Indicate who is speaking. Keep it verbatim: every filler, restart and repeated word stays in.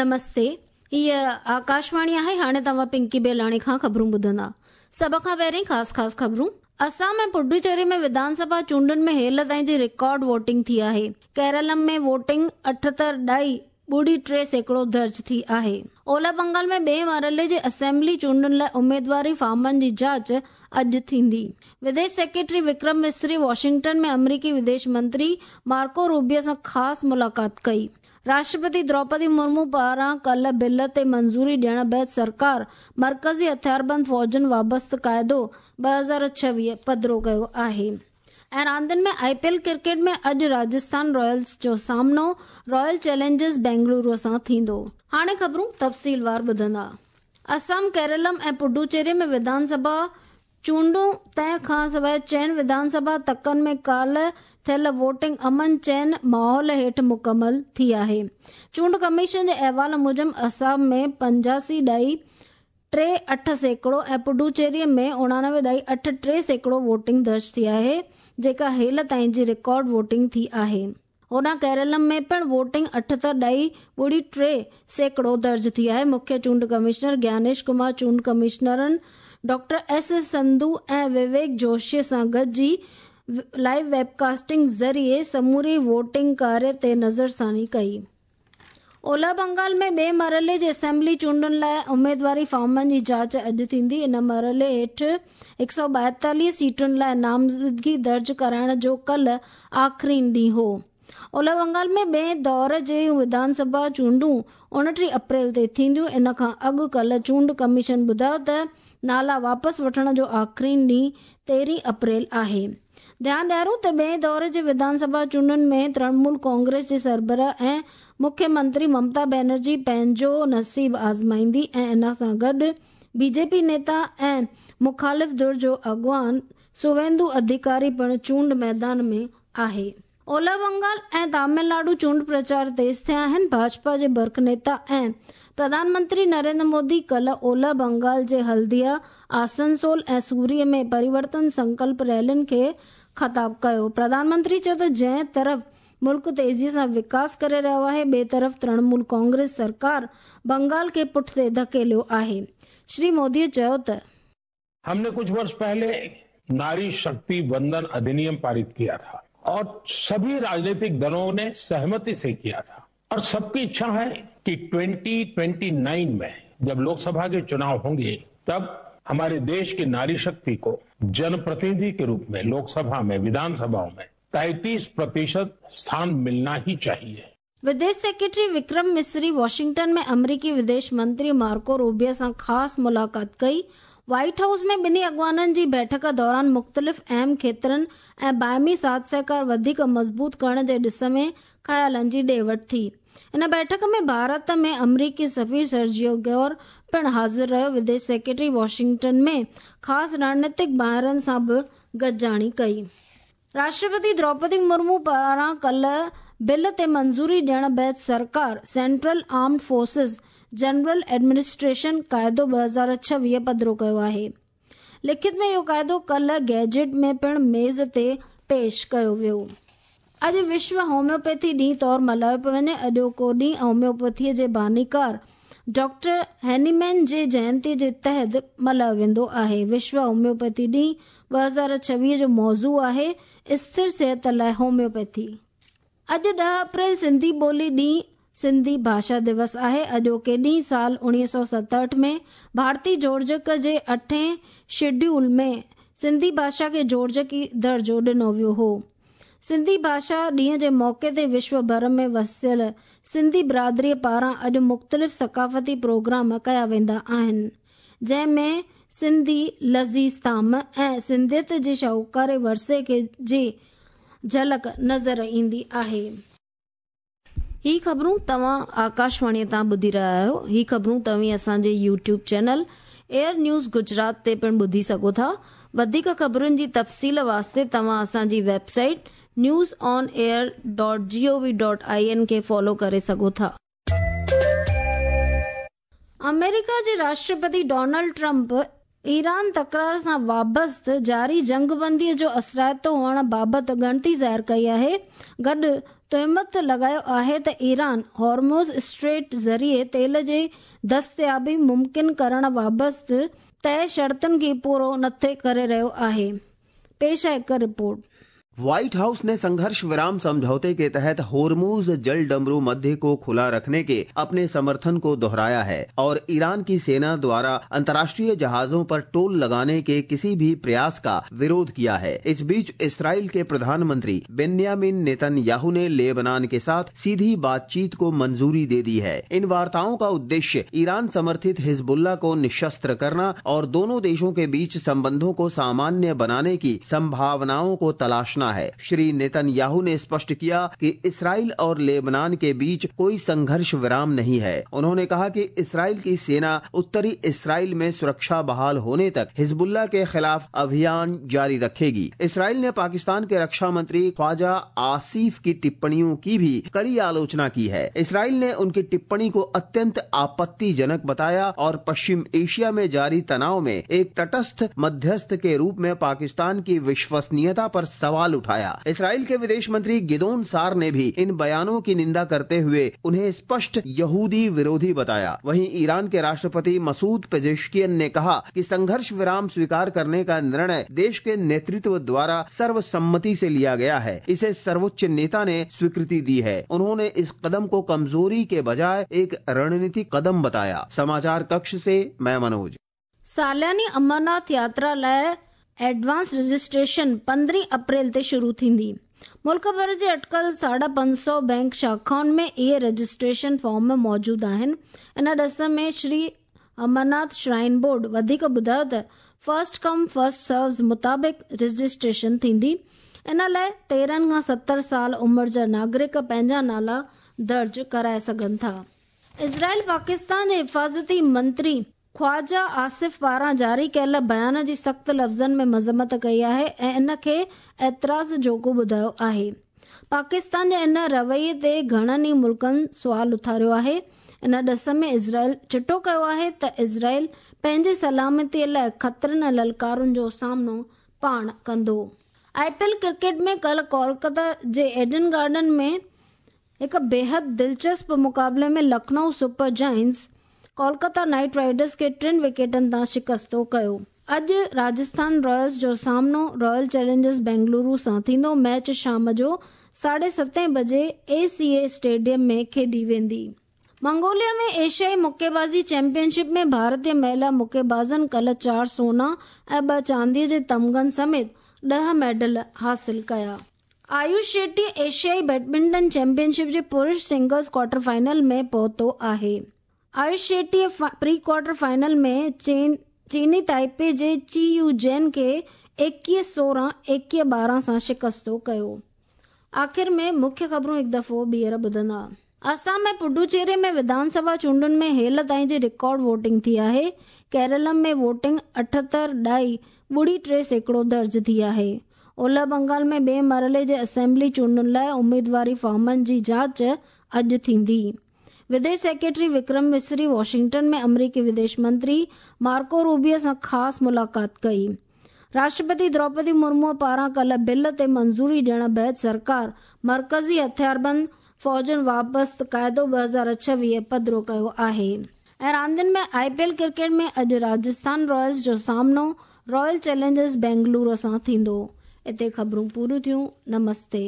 Speaker 1: نمستي، هيء آڪاشواڻي آهي. هاڻي توهان پنڪي بيلاڻي کان خبرون ٻڌندا. سڀ کان پهرين خاص خاص خبرون. اسام ۽ پڊوچيري ۾ وڌان سڀا چونڊن ۾ هيل تائين جي رڪارڊ ووٽنگ ٿي آهي. ڪيرلم ۾ ووٽنگ اٺهتر ڏهائي ٻڙي ٽي سيڪڙو درج ٿي آهي. اولهه بنگال ۾ ٻئي مرحلي جي اسيمبلي چونڊن لاء اميدواري فارمن جي جاچ اڄ ٿيندي. وديش سيڪريٽري وڪرم مصري واشنگٽن ۾ آمريڪي وديش منتري مارڪو روبيو سان خاص ملاقات ڪئي. راشٽرپتي دروپدي مرمو پاران ڪالهه بل تي منظوري ڏيڻ بعد سرڪار مرڪزي هٿياربند فوجن وابسته قاعدو ٻه هزار ڇويهه پڌرو ڪيو آهي. ۽ راندين ۾ آئي پي ايل ڪرڪيٽ ۾ اڄ راجسٿان رائلز جو سامنو رائل چئلينجرز بينگلورو سان ٿيندو. هاڻي خبرون تفصيلوار ٻڌندا. اسام، ڪيرلم ۽ پڊوچيري ۾ وڌان سڀا چونڊون تنهن کان سواءِ چئن وڌان سڀا تڪن ۾ ڪالهه ٿيل ووٽنگ امن چين ماحول هيٺ مڪمل ٿي آهي. چونڊ ڪميشن جي احوال موجب اسام ۾ پنجاسي ڏهائي ٽي اٺ سيڪڙو ۽ پڊوچيري ۾ اڻانوي ڏهائي اٺ ٽي سيڪڙو ووٽنگ درج ٿي آهي، جيڪا هيل تائين جي رڪارڊ ووٽنگ ٿي آهي. هوڏانهن ڪيرلم ۾ پڻ ووٽنگ اٺهتر ڏهائي ٻڙي ٽي سيڪڙو درج ٿي آهي. مکيه چونڊ ڪمشنر گيانيش ڪمار چونڊ ڪمشنرن ڊاڪٽر ايس ايس سنڌو ۽ وويڪ جوشي سان گڏجي لائيو ويب ڪاسٽنگ ذريعي سموري ووٽنگ ڪاريه تي نظرثاني ڪئي. اولهه بنگال ۾ ٻئي مرحلي جي اسيمبلي چونڊن لاءِ اميدواري فارمن جي جاچ اڄ ٿيندي. ان مرحلي هيٺ هڪ سؤ ٻائيتاليهه سيٽن لاءِ نامزدگي درج ڪرائڻ جو ڪالهه آخرين ڏينهن هو. اولهه بنگال ۾ ٻئي دور جي وڌان سڀا چونڊون اڻٽيهه اپريل تي ٿينديون. ان کان اڳ ڪالهه چونڊ ڪميشن ٻڌايو ته نالا واپس وٺڻ جو آخرين ڏينهن تيرهين اپريل آهي. ڌيان ڏيارون ته ٻئي دور جي وڌان سڀا چونڊن ۾ ترڻمول ڪانگريس جي سربراهه ۽ مکيه منتري ممتا بينرجي پنهنجو نصيب آزمائيندي ۽ ان سان گڏ بي جي پي نيتا ۽ مخالف ڌر جو اڳواڻ سويندو اڌڪاري پڻ چونڊ ميدان ۾ آهي. اولهه بنگال ۽ تامل ناڊو چونڊ پرچار تيز ٿيا آهن. ڀاجپا جي برک نيتا ۽ پرڌان منتري نريندر مودي ڪالهه اولهه بنگال جي هلديا، آسنسول ۽ سوري ۾ پريورتن سنڪلپ ريلين کي خطاب ڪيو. پرڌان منتري چيو ته جنهن طرف ملڪ تيزيءَ سان وڪاس ڪري رهيو آهي، ٻئي طرف ترڻمول ڪانگريس سرڪار بنگال کي پٺتي ڌڪيليو آهي. شري مودي چيو ته
Speaker 2: हमने कुछ वर्ष पहले नारी शक्ति वंदन अधिनियम पारित किया था और सभी राजनीतिक दलों ने सहमति से किया था और सबकी इच्छा है कि ट्वेंटी ट्वेंटी नाइन में जब लोकसभा के चुनाव होंगे तब हमारे देश की नारी शक्ति को जनप्रतिनिधि के रूप में लोकसभा में, विधानसभाओं में तैंतीस प्रतिशत स्थान मिलना ही चाहिए।
Speaker 1: विदेश सेक्रेटरी विक्रम मिस्री वॉशिंगटन में अमरीकी विदेश मंत्री मार्को रूबियो सां ख़ासि मुलाक़ात कई। व्हाइट हाउस में ॿिन्ही अॻवाननि जी बैठक दौरान मुख़्तलिफ़ अहम खेत्रनि ऐं बाहमी साथ सहकार वधीक मज़बूत करण जे ॾिस में ख़यालनि जी ॾे वठ थी। इन बैठक में भारत में अमरीकी सफ़ीर सर्जियो गौर पिणु हाज़िर रहियो। विदेश सेक्रेटरी वॉशिंगटन में ख़ासि रणनीतिक माहिरनि सां बि गॾिजाणी कई। राष्ट्रपति द्रौपदी मुर्मू पारां काल्हि बिल ते मंज़ूरी ॾियण बाद सरकार central armed forces general administration क़ाइदो ٻه هزار ڇويهه पधरो कयो आहे। लिखित में इहो क़ाइदो काल्हि गैजेट में पिणु मेज़ ते पेश कयो वियो। अॼु विश्व होम्योपैथी ॾींहुं तौर मल्हायो पियो वञे। अॼोको ॾींहुं होम्योपैथीअ जे बानीकार डॉक्टर हैनीमैन जे जयंतीअ जे तहत मल्हायो वेंदो आहे। विश्व होम्योपैथी ॾींहुं ٻه هزار ڇويهه जो मौज़ू आहे स्थिर सिहत लाइ होम्योपैथी। अॼु ॾह अप्रैल सिंधी ॿोली ॾींहुं सिंधी भाषा दिवस आहे। अॼोके ॾींहुं साल उणिवीह सौ सतहठि में भारतीय जोड़जक जे अठें शेड्यूल में सिंधी भाषा खे जोड़जकी दर्जो ॾिनो वियो हो। सिंधी भाषा ॾींहं जे मौक़े ते विश्व भर में वसियल सिंधी बिरादरीअ पारां अॼु मुख़्तलिफ़ सकाफ़ती प्रोग्राम कया वेंदा आहिनि, जंहिं में सिंधी लज़ीज़ ताम ऐं सिंधियत जे शाहूकार वरसे खे जी झलक नज़र ईंदी आहे। ही ख़बरूं तव्हां आकाशवाणीअ तां ॿुधी रहिया आहियो। ही ख़बरूं तव्हीं असांजे YouTube channel air news Gujarat ते पिणु ॿुधी सघो था। वधीक ख़बरुनि जी तफ़सील वास्ते तव्हां असांजी website news on air dot G O V dot I N खे फॉलो करे सघो था। अमेरिका जे राष्ट्रपति डोनाल्ड ट्रंप ايران तकरार सां वाबस्त जारी जंगबंदीअ जो असराइतो हुअण बाबति ॻणती ज़ाहिर कई आहे। गॾु तोहमत लॻायो आहे त ईरान हॉर्मोज स्ट्रेट ज़रिए तेल जी दस्तयाबी मुमकिन करण वाबस्त तय शर्तुनि खे पूरो नथे करे रहियो आहे। पेश आहे हिकु रिपोर्ट।
Speaker 3: व्हाइट हाउस ने संघर्ष विराम समझौते के तहत होर्मुज जल डमरू मध्य को खुला रखने के अपने समर्थन को दोहराया है और ईरान की सेना द्वारा अंतर्राष्ट्रीय जहाजों पर टोल लगाने के किसी भी प्रयास का विरोध किया है। इस बीच इसराइल के प्रधानमंत्री बेन्यामिन नेतन्याहू ने लेबनान के साथ सीधी बातचीत को मंजूरी दे दी है। इन वार्ताओं का उद्देश्य ईरान समर्थित हिजबुल्लाह को निशस्त्र करना और दोनों देशों के बीच संबंधों को सामान्य बनाने की संभावनाओं को तलाशना है। श्री नेतन्याहू ने स्पष्ट किया कि इसराइल और लेबनान के बीच कोई संघर्ष विराम नहीं है। उन्होंने कहा कि इसराइल की सेना उत्तरी इसराइल में सुरक्षा बहाल होने तक हिजबुल्लाह के खिलाफ अभियान जारी रखेगी। इसराइल ने पाकिस्तान के रक्षा मंत्री ख्वाजा आसिफ की टिप्पणियों की भी कड़ी आलोचना की है। इसराइल ने उनकी टिप्पणी को अत्यंत आपत्तिजनक बताया और पश्चिम एशिया में जारी तनाव में एक तटस्थ मध्यस्थ के रूप में पाकिस्तान की विश्वसनीयता पर सवाल उठाया। इसराइल के विदेश मंत्री गिदोन सार ने भी इन बयानों की निंदा करते हुए उन्हें स्पष्ट यहूदी विरोधी बताया। वहीं ईरान के राष्ट्रपति मसूद पेजेश्कियन ने कहा कि संघर्ष विराम स्वीकार करने का निर्णय देश के नेतृत्व द्वारा सर्वसम्मति से लिया गया है। इसे सर्वोच्च नेता ने स्वीकृति दी है। उन्होंने इस कदम को कमजोरी के बजाय एक रणनीतिक कदम बताया। समाचार कक्ष से मैं मनोज।
Speaker 1: सालानी अमरनाथ यात्रा लाइ एडवांस रजिस्ट्रेशन पंद्रहीं अप्रैल ते शुरू थींदी। मुल्क भर जे अटकल साढा पंज सौ बैंक शाखाउनि में इहे रजिस्ट्रेशन फॉर्म मौजूदु आहिनि। इन ॾस में श्री अमरनाथ श्राइन बोर्ड वधीक ॿुधायो त फर्स्ट कम फर्स्ट सर्व्स मुताबिक़ रजिस्ट्रेशन थींदी। इन लाइ तेरहं खां सतरि साल उमिरि जा नागरिक पंहिंजा नाला दर्ज कराए सघनि था। इज़राइल पाकिस्तान जे हिफाज़ती मंत्री ख्वाजा आसिफ पारां जारी कयल बयान जी सख़्त लफ़्ज़नि में मज़म्मत कई आहे ऐं इन खे एतिराज़ जोॻो ॿुधायो आहे। पाकिस्तान जे इन रवैये ते घणनि ई मुल्कनि सुवाल उथारियो आहे। इन ॾस में इज़राइल चिटो कयो आहे त इज़राइल पंहिंजी सलामतीअ लाइ ख़तरनि ऐं ललकारुनि जो सामनो पाण कंदो। I P L cricket में कल कोलकाता जे एडन गार्डन में हिकु बेहद दिलचस्प मुक़ाबले में Lucknow super giants Kolkata knight riders खे टिनि विकेटनि तां शिकस्तो कयो। अॼु राजस्थान रॉयल्स जो सामनो रॉयल चैलेंजर्स बेंगलुरु सां थींदो। मैच शाम जो साढे सतें बजे ए सी ए स्टेडियम में खेॾी वेंदी। मंगोलिया में एशियाई मुक्केबाज़ी चैंपियनशिप में भारतीय महिला मुक्केबाज़नि कल चारि सोना ऐं ॿ चांदीअ जे तमगनि समेत ॾह मेडल हासिल कया। आयुष शेट्टी एशियाई बैडमिंटन चैंपियनशिप जे पुरुष सिंगल्स क्वार्टर फाइनल में पहुतो आहे। Ayush Shetty pre quarter final में चीन चीनी ताइपे जे ची you जैन खे एकवीह सोरहं एकवीह ॿारहं सां शिकस्तो कयो। आख़िर में मुख्य ख़बरूं हिकु दफ़ो ॿीहर ॿुधंदा। असम में पुडुचेरी में विधानसभा चूंडुनि में हेल ताईं जी रिकॉर्ड वोटिंग थी आहे। केरलम में वोटिंग अठहतरि ॾाई ॿुड़ी टे सैकड़ो दर्ज थी आहे। ओलह बंगाल में ॿिए मरहले जे असेंबली चूंडुनि लाइ उमेदवारी फॉर्मनि जी जांच अॼु थींदी। विदेश सेक्रेटरी विक्रम मिस्री वॉशिंगटन में अमरीकी विदेश मंत्री मार्को रूबियो सां ख़ासि मुलाक़ात कई। राष्ट्रपति द्रौपदी मुर्मू पारां कल बिल ते मंज़ूरी ॾियण बाद सरकार मर्कज़ी हथियारबंद फ़ौजुनि वाबस्त क़ाइदो ॿ हज़ार छवीह पधरो कयो आहे। ऐं रांदियुनि में I P L cricket में अॼु राजस्थान रॉयल्स जो सामनो रॉयल चैलेंजर्स बेंगलुरु सां थींदो। हिते ख़बरूं पूरियूं थियूं। नमस्ते।